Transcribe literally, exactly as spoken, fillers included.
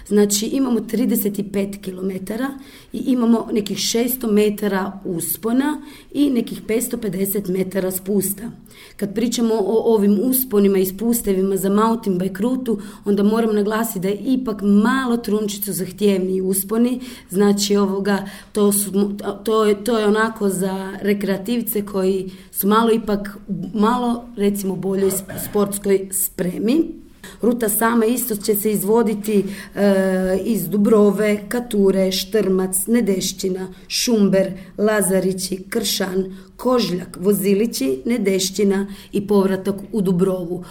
Znači imamo trideset pet kilometara i imamo nekih šesto metara uspona i nekih petsto pedeset metara spusta. Kad pričamo o ovim usponima i spustevima za mountain bike rutu, onda moram naglasiti da je ipak malo trunčicu zahtjevniji usponi, znači ovoga, to, su, to, je, to je onako za rekreativce koji su malo ipak, malo recimo boljoj sportskoj spremi. Ruta sama isto će se izvoditi e, iz Dubrove, Kature, Štrmac, Nedešćina, Šumber, Lazarići, Kršan, Kožljak, Vozilići, Nedešćina i povratak u Dubrovu.